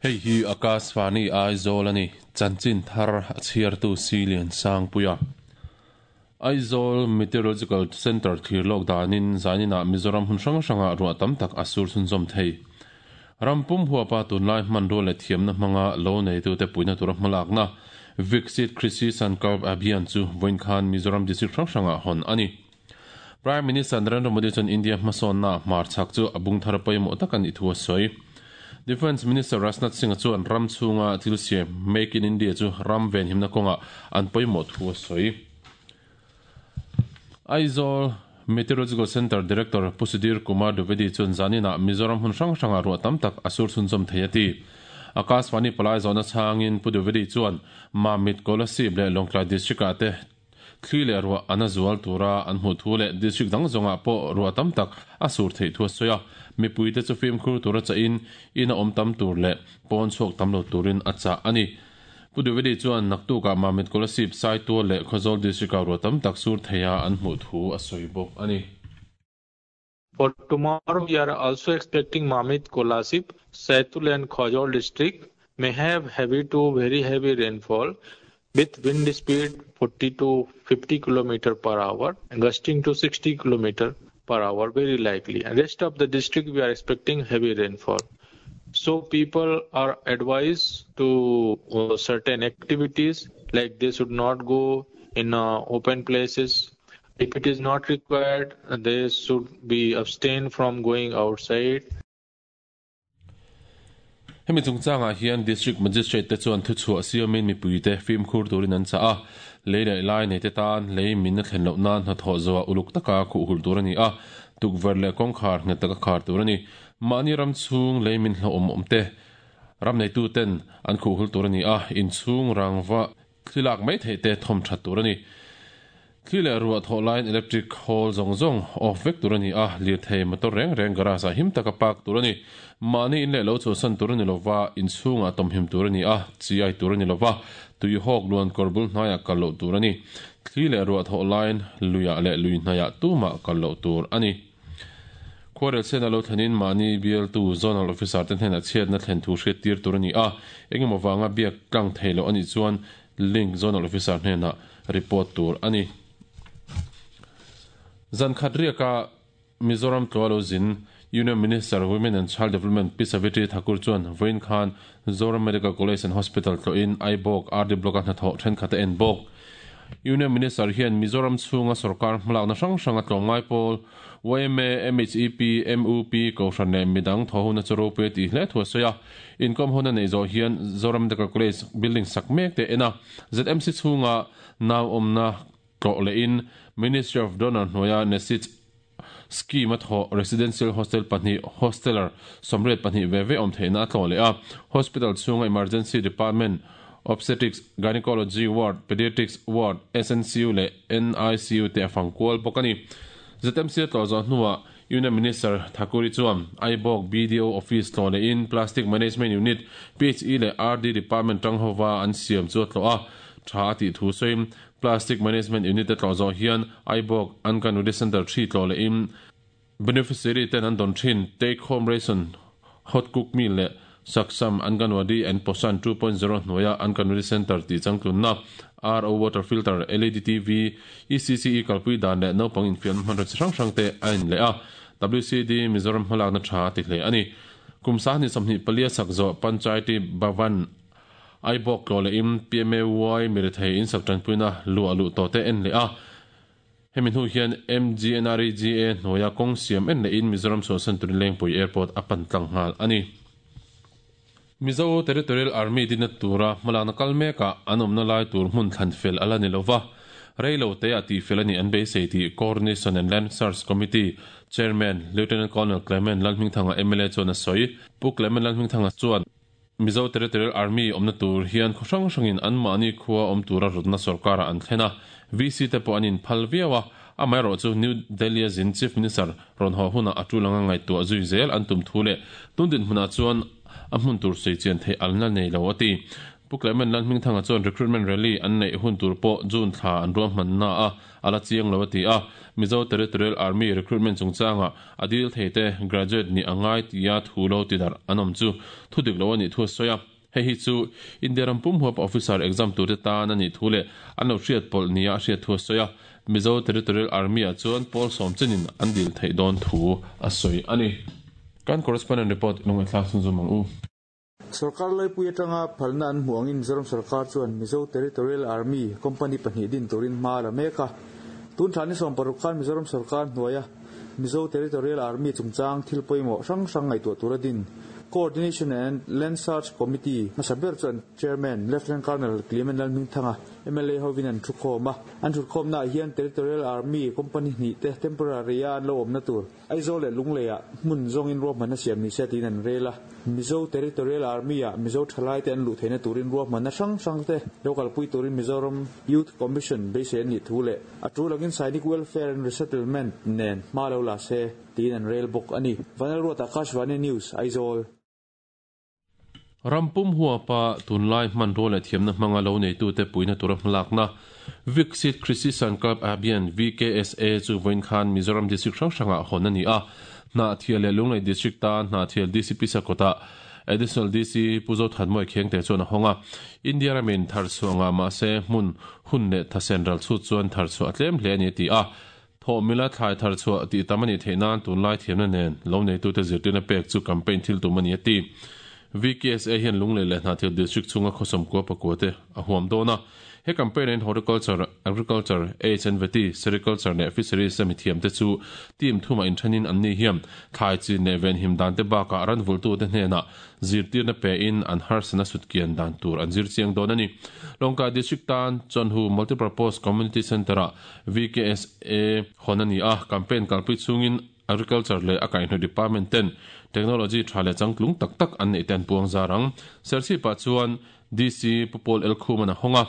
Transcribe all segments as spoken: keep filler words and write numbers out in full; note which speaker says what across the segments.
Speaker 1: Hei hi Akashvani Aizawl ani chanchin thar a chhiartu Silian Sangpuia. Aizawl Meteorological Center thlir lawk danin zanina Mizoram hun hrang hranga ruah tam tak a sur chhunzawm thei. Rampum huapa tunlai hmanrua leh thiamna hmanga lo neitute puina tura hmalakna Viksit Krishi Sankalp Abhiyan chu vawiin khan Mizoram district hrang hranga hawn ani. Prime Minister Narendra Modi chuan India hmasawnna hmar chhak chu a bung thar pawimawh tak ani thu a sawi. Defence Minister Rajnath Singh chuan ram chhunga thil siam Make in India chu ram ven himna kawnga an pawimawh thu a sawi. Aizawl Meteorological Center Director Pu Sudhir Kumar Dwivedi chuan zanina Mizoram hun hrang hranga ruah tam tak a sur chhunzawm thei a ti. Akashvani palai zawhna chhangin Pu Dwivedi chuan Mamit Kolasib leh Lawngtlai district ah te thli leh ruah an a zual tura an hmuh thu leh district dang zawngah pawh ruah tam tak a sur theih thu a sawi a. Mipuite chu fimkhur tura chahin in a awm tam tur leh pawn chhuak tam lo turin a chah ani. Pu Dwivedi chuan naktukah Mamit Kolasib Saitual leh Khawzawl district ah ruah tam tak sur theia an hmuh thu a sawi bawk ani.
Speaker 2: For tomorrow, we are also expecting Mamit, Kolasib, Saitul and Khawzawl district may have heavy to very heavy rainfall with wind speed forty to fifty kilometer per hour and gusting to sixty kilometer per hour very likely. And rest of the district we are expecting heavy rainfall. So people are advised to, uh, certain activities, like they should not go in, uh, open places. If it is not required, they should be abstain from going outside.
Speaker 1: Hemi chungchangah hian District Magistrate te chuan thu chhuah siamin mipuite fimkhur turin an chah a. Lei leh lai nei te tan lei min a thlen loh nan hnathawh zawah uluk taka khuh hul tur ani a. Tukverh leh kawngkhar nghet taka khar tur ani. Mahni ram chhung lei min hlo awm awm te ram neitu ten an khuh hul tur ani a. Inchhung rangva thlilak mai theih te thawm that tur ani. Thli leh ruah thawh laiin electric hall zawng zawng off vek tur ani a. Lir thei motor reng reng garage ah him taka park tur ani. Mahni in leh lo chhuahsan tur ani lova, inchhungah tawmhim tur ani a, chi ai tur ani lova, tui hawk luan kawr bul hnaiah kal loh tur ani. Thli leh ruah thawh laiin luiah leh lui hnaiah tumah kal loh tur ani. Khuarel sena lo thlenin mahni bialtu zonal officer te hnenah chhiatna thlen thu hriat tir tur ani a. Engemaw wanga biak tlang thei loh ani chuan link zonal officer hnenah report tur ani. Zan khat riaka Mizoram tlualo zin Union Minister Women and Child Development Pi Savitri Thakur chuan vawiin khan Zoram Medical College and Hospital tlawhin Aibawk R D Block a hnathawh thenkhat a en bawk. Union Minister hian Mizoram chhunga sarkar hmalakna hrang hranga tlawmngai pawl Y M A, M H E P, M U P kohhran leh midang thawhuna chu ropui a tih hle thu a sawi a. Inkom huna nei zawh hian Zoram Medical College building sak mek te en a. Z M C chhunga nau awmna tlawh lehin Ministry of Donor hnuaia Nesit scheme a thawh residential hostel pahnih hosteler sawmriat pahnih ve ve awm theihna a tlawh leh a. Hospital chhunga emergency department, obstetrics, gynecology ward, pediatrics ward, S N C U leh N I C U te a fangkual bawk ani. Z M C a tlawh zawh hnuah Union Minister Thakuri chuan Aibawk B D O office tlawh lehin Plastic Management Unit, P H E leh R D Department tang hova an siam chu a tlawh a. Tha a tih thu sawiin Plastic Management Unit a tlawh zawh hian Aibawk Anganwadi Center three tlawh lehin beneficiary ten an dawn thin take home ration, hot cook meal leh Saksham Anganwadi and Poshan two point zero hnuaia Anganwadi Center tih changtlunna R O water filter, L E D T V, E C C E kalpui dan leh naupang infiam hmanraw chi hrang hrang te a in leh a. W C D Mizoram hmalakna tha a ti hle ani. Kum sahni sawmhnih palia sak zawh Panchayati Bhavan Aibawk tlawh lehin P M A Y mirethei in sak tanpuina luah luh tawh te en leh a. Hemi hnu hian M G N R E G A hnuaia kawng siam en lehin Mizoram chhuahsan turin Lengpui Airport a pan tlang nghal ani. Mizo Territorial Army dina tura hmalakna kal mekah an awmna lai tur hmun thlan fel ala ni lova. Reilo te a tih fel ani an beisei tih Coordination and Land Search Committee Chairman Lieutenant Colonel Clement Lalhmingthanga M L A chuan a sawi. Pu Clement Lalhmingthanga chuan Mizo Territorial Army awmna tur hian khaw hrang hrangin an mahni khua awm tura rawtna sarkarah an thlen a. V C te pawh an inphal viau a. Amaherawh chu New Delhi a zin Chief Minister rawn haw hunah a tulanga ngaihtuah zui zel an tum thu leh tun dinhmunah chuan a hmun tur sei chian theih alna nei lo a ti. Pu Clement Lalhmingthanga chuan recruitment rally an neih hun tur pawh June thla an ruahmanna a ala chiang lo a ti a. Mizo Territorial Army recruitment chungchanga a dil thei te graduate nih a ngai tia thu lo ti darh an awm chu thu dik lo a nih thu a sawi a. Hei hi chu India ram pum huap officer exam tur te tan a nih thu leh an lo hriat pawlh nia a hriat thu a sawi a. Mizo Territorial Army ah chuan pawl sawm chenin an dil theih dawn thu a sawi a ni. Kan correspondent report lungngaihthlak chhunzawm ang u.
Speaker 3: Sorkar laipui atanga phalna an hmuh angin Mizoram sorkar chuan Mizo Territorial Army company pahnih din turin hma a la mek a. Tun thla ni sawm paruk khan Mizoram sorkar hnuaia Mizo Territorial Army chungchang thil pawimawh hrang hrang ngaihtuah tura din Coordination and Land Search Committee hmasa ber chu an Chairman Lieutenant Colonel Clement Lalhmingthanga M L A hovin an thukhawm a. An thutkhawmnaah hian Territorial Army company hnih te temporary a an lo awmna tur Aizawl leh Lungleiah hmun zawngin ruahmanna siam ni se tiin an rel a. Mizo Territorial Army-ah Mizo thalaite an luh theihna turin ruahmanna hrang hrang te lo kalpui turin Mizoram Youth Commission beisei an nih thu leh a tul angin Sainik Welfare and Resettlement nen hma lo la se tiin an rel bawk a ni. Vanlalruata Akashvani News, Aizawl.
Speaker 1: Ram pum huapa tunlai hmanrua leh thiamna hmanga lo neitute puihna tura hmalakna Viksit Krishi Sankalp Abhiyan, V K S A, chu vawiin khan Mizoram District hrang hrangah hawn a ni a. Hnahthial leh Lunglei District tan Hnahthial D C P Sakawtah Additional D C Pu Zothanmawia Khengte chuan a hawng a. India ramin tharchhuah ngah mahse hmun hun leh thasen ral chhut chuan tharchhuah a tlem hle a ni a ti a. Thawhmila thlai tharchhuah tih tam a nih theih nan tunlai thiamna nen lo neitute zirtirna pek chu campaign thil tum a ni a ti. V K S A hian Lunglei leh Hnahthial District chhunga khawsawm kua pakua te a huam dawn a. He campaign in horticulture, agriculture, H and V T, sericulture leh fisheries a mithiam te chu team thuma inthenin an ni hiam thlai chin leh venhim dan te bakah ran vultu te hnenah zirtirna pe in an harsana sutkian dan tur an zir chiang dawn a ni. Lawngkai District tan Chawnhu Multipurpose Community Centre-ah V K S A hawn a ni a. Campaign kalpui chungin Agriculture leh a kaihhnawih department ten technology tha leh changtlung tak tak an neih te an puang zar ang. Serchhipah chuan D C Pu Paul L Khuman a hawng a.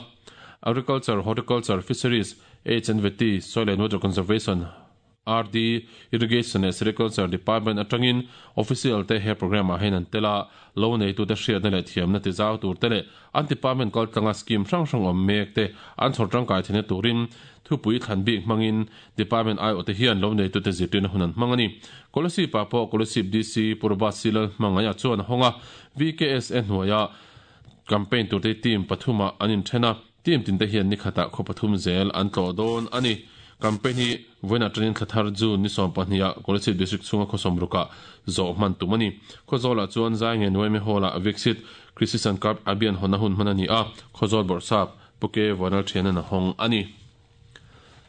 Speaker 1: Agriculture, Horticulture, Fisheries, H and V T, Soil and Water Conservation, R D, Irrigation leh Sericulture Department atangin official te he program ah hian an tel a. Lo neitu te hriatna leh thiamna ti zau tur te leh an department kaltlanga scheme hrang hrang awm mek te an chhawr tangkai theihna turin thupui thlan bik hmangin department I O te hian lo neitu te zirtirna hun an hmang a ni. Kolasib ah pawh Kolasib D C Purba Silal hmangaih ah chuan a hawng a. V K S A hnuaia campaign tur te team pathuma an inthen a. Team tin te hian ni khatah khaw pathum zel an tlawh dawn a ni. Campaign hi vawiin atangin thla thar June ni sawm pahnih ah Kolasib District chhunga khawsawm rukah zawh hman tum a ni. Khawzawl ah chuan Zaingen Uaime Hall ah Viksit Krishi Sankalp Abhiyan hawnna hun hman a ni a. Khawzawl Bawrhsap Pu K Vanal Thianan a hawng a ni.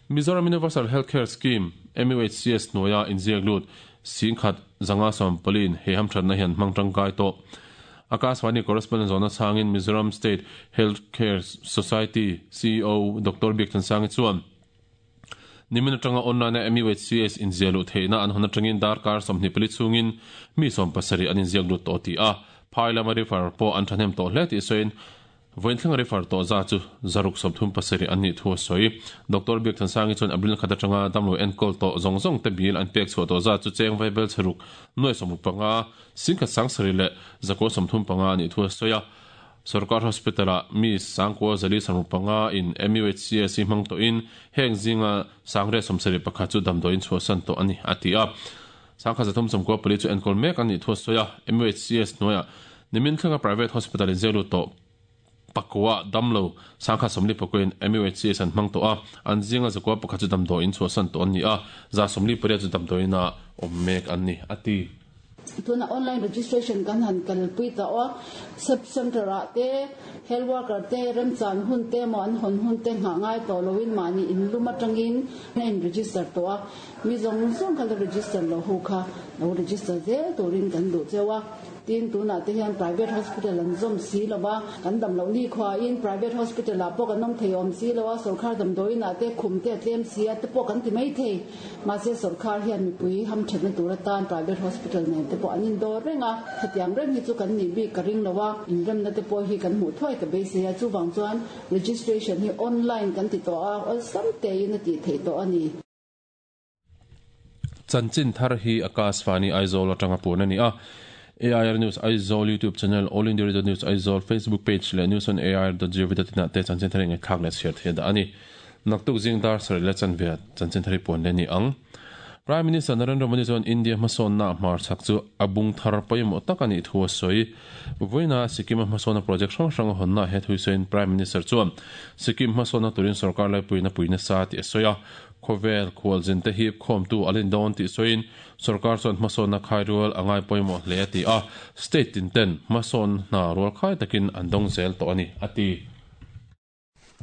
Speaker 1: Mizoram Universal Healthcare Scheme, M U H C S, hnuaia inziak lut singkhat zanga sawm paliin he hamthatna hian hmang tangkai tawh. Akashvani correspondent zawhna chhangin Mizoram State Healthcare Society C E O Doctor Biakthansangi chuan nimin atanga online a M U H C S inziah luh theihna an hawn atangin darkar sawmhnih pali chungin mi sawm pasarih an inziak lut tawh ti a. Phai lama refer pawh an thahnem tawh hle tih sawiin vawiin thleng refer tawh za chu zaruk sawmthum pasarih an nih thu a sawi. Doctor Biakthansangi chuan April khat atanga damlo enkawl tawh zawng zawng te bil an pek chhuah tawh za chu cheng vaibel chheruk nuai sawmruk panga singkhat sangsarih leh zakua sawmthum panga a nih thu a sawi a. Sarkar Hospital ah mi sangkua zali sawmruk panga in M U H C S hmang tawhin heng zinga sangre sawmsarih pakhat chu damdawiin chhuahsan tawh a ni a ti a. Sangkhat zathum sawmkua pali chu enkawl mek an nih thu a sawi a. M U H C S hnuaiah nimin thlenga private hospital in zelu tawh pakua damlo sangkhat sawmli pakuin M U H C S an hmang tawh a. An zinga zakua pakhat chu damdawiin chhuahsan tawh an ni a. Za sawmli pariat chu damdawiin ah awm mek an ni a ti.
Speaker 4: Tuna online registration kan han kalpui ta aw sub center ah te health worker te remchan hun te maw an hawn hun te nghah ngai tawh loin mahni inlum atangin a in register tawh a. Mi zawng zawng kha la register lo ho kha lo register zel turin kan duh cheu a. Tin tunah te hian private hospital an zawm si lova kan dam loh ni khuain private hospital ah pawh kan awm thei awm si lo a. Sorkar damdawiin ah te khum te a tlem si a te pawh kan ti mai thei. Mahse sorkar hian mipui hamthatna tur atan private hospital nen te pawh an indawr reng a. Hetiang reng hi chu kan nih bik ka ring lo a. Inremna te pawh hi kan hmuh thuai ka beisei a. Chuvang chuan registration hi online kan ti tawh a, awlsam tein a tih theih tawh a ni.
Speaker 1: Chanchin thar hi Akashvani Aizawl atanga puan a ni a. A I R News Aizawl YouTube channel, All India Radio News Aizawl Facebook page leh news on A I R dot gov dot in ah te chanchin thar eng thlak leh chhiar thei dah ani. Naktuk zing dar sarih leh chanve chanchin thar hi puan leh ni ang. Prime Minister Narendra Modi chuan India hmasawnna hmar chak chu a bung thar pawimawh tak ani thu a sawi. Vawiina Sikkim hmasawnna project hrang hrang a hawnna he thui sawiin Prime Minister chuan Sikkim hmasawnna turin sarkar laipuina puina sa tih a sawi a. Khawvel khualzin te hi khawmtu a lin dawn tih sawiin sarkar chuan hmasawnna khai rual a ngai pawimawh hle a ti a. State tin ten hmasawnna rual khai takin an dawng zel tawh ani a ti.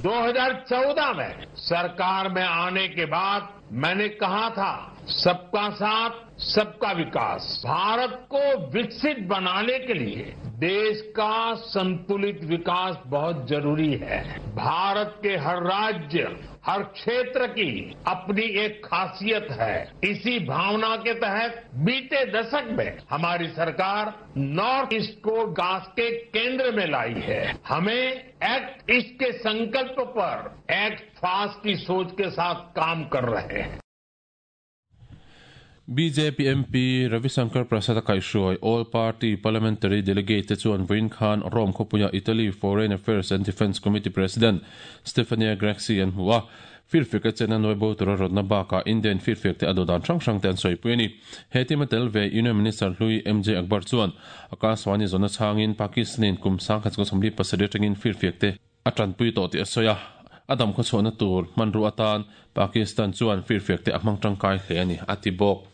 Speaker 5: दो हज़ार चौदह में सरकार में आने के बाद मैंने कहा था, सबका साथ सबका विकास। भारत को विकसित बनाने के लिए देश का संतुलित विकास बहुत जरूरी है। भारत के हर राज्य, हर क्षेत्र की अपनी एक खासियत है। इसी भावना के तहत बीते दशक में हमारी सरकार नॉर्थ ईस्ट को विकास के केंद्र में लाई है। हमें एक्ट ईस्ट के संकल्प पर एक्ट फास्ट की सोच के साथ काम कर रहे हैं।
Speaker 1: B J P M P Ravi Shankar Prasad kaihruai All Party Parliamentary Delegate chuan Vawiin khan Rome khawpuia Italy Foreign Affairs and Defence Committee President Stefania Grexi an hmu a. Firfek a chen a nuai bo tura rawtna bakah Indian firfek te a do dan hrang hrang te an sawi pui ani. He team a tel ve Union Minister Hlui M J Akbar chuan Akashvani zawna changin Pakistanin kum sangkhat chungah sawmli pasarih atangin firfek te a tanpui tawh tih a sawi a. Adam khaw chhuahna tur hmanru atan Pakistan chuan firfek te a hmang tangkai hle ani a ti bawk.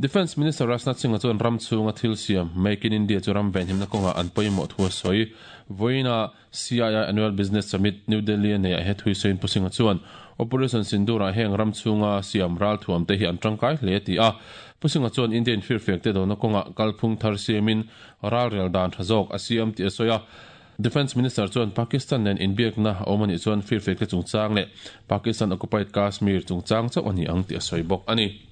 Speaker 1: Defence Minister Rajnath Singh chuan ram chhunga thil siam Make in India chu ram venhimna kawnga an pawimawh thu a sawi. Vawiina C I I Annual Business Summit New Delhi nei ah he thui sawiin Pu Singh chuan Operation Sindoor heng ram chhunga siam ral thuam te hi an tangkai hle ti a. Pu Singh chuan Indian firfek te dona kawnga kalphung thar siamin ral rel dan tha zawk a siam ti a sawi a. Defence Minister chuan Pakistan nen inbiakna awm ani chuan firfek te chungchang leh Pakistan occupied Kashmir chungchang chauh ani ang ti a sawi bawk ani.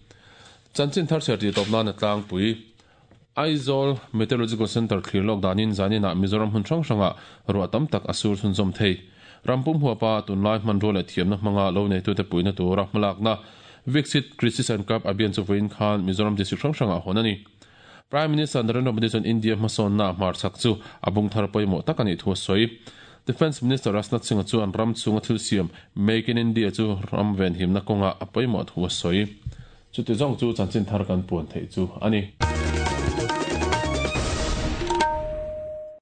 Speaker 1: Chanchin thar chhiar tih tawp nan a tlangpui Aizawl Meteorological Center thlir lawk danin zanina Mizoram hun hrang hranga ruah tam tak a sur chhunzawm thei. Rampum huapa tunlai hman rual leh thiamna hmanga lo nei tute puina tura hmalakna Viksit Krishi Sankalp Abhiyan chu vawiin khan Mizoram district hrang hranga hawn ani. Prime Minister Narendra Modi chuan India hmasawnna hmar chak chu a bung thar pawimawh tak ani thu a sawi. Defence Minister Rajnath Singh chuan ram chhunga thil siam Make in India chu ram venhimna kawnga a pawimawh thu a sawi. Chu ti zawng chu chanchin thar kan puan theih chu ani.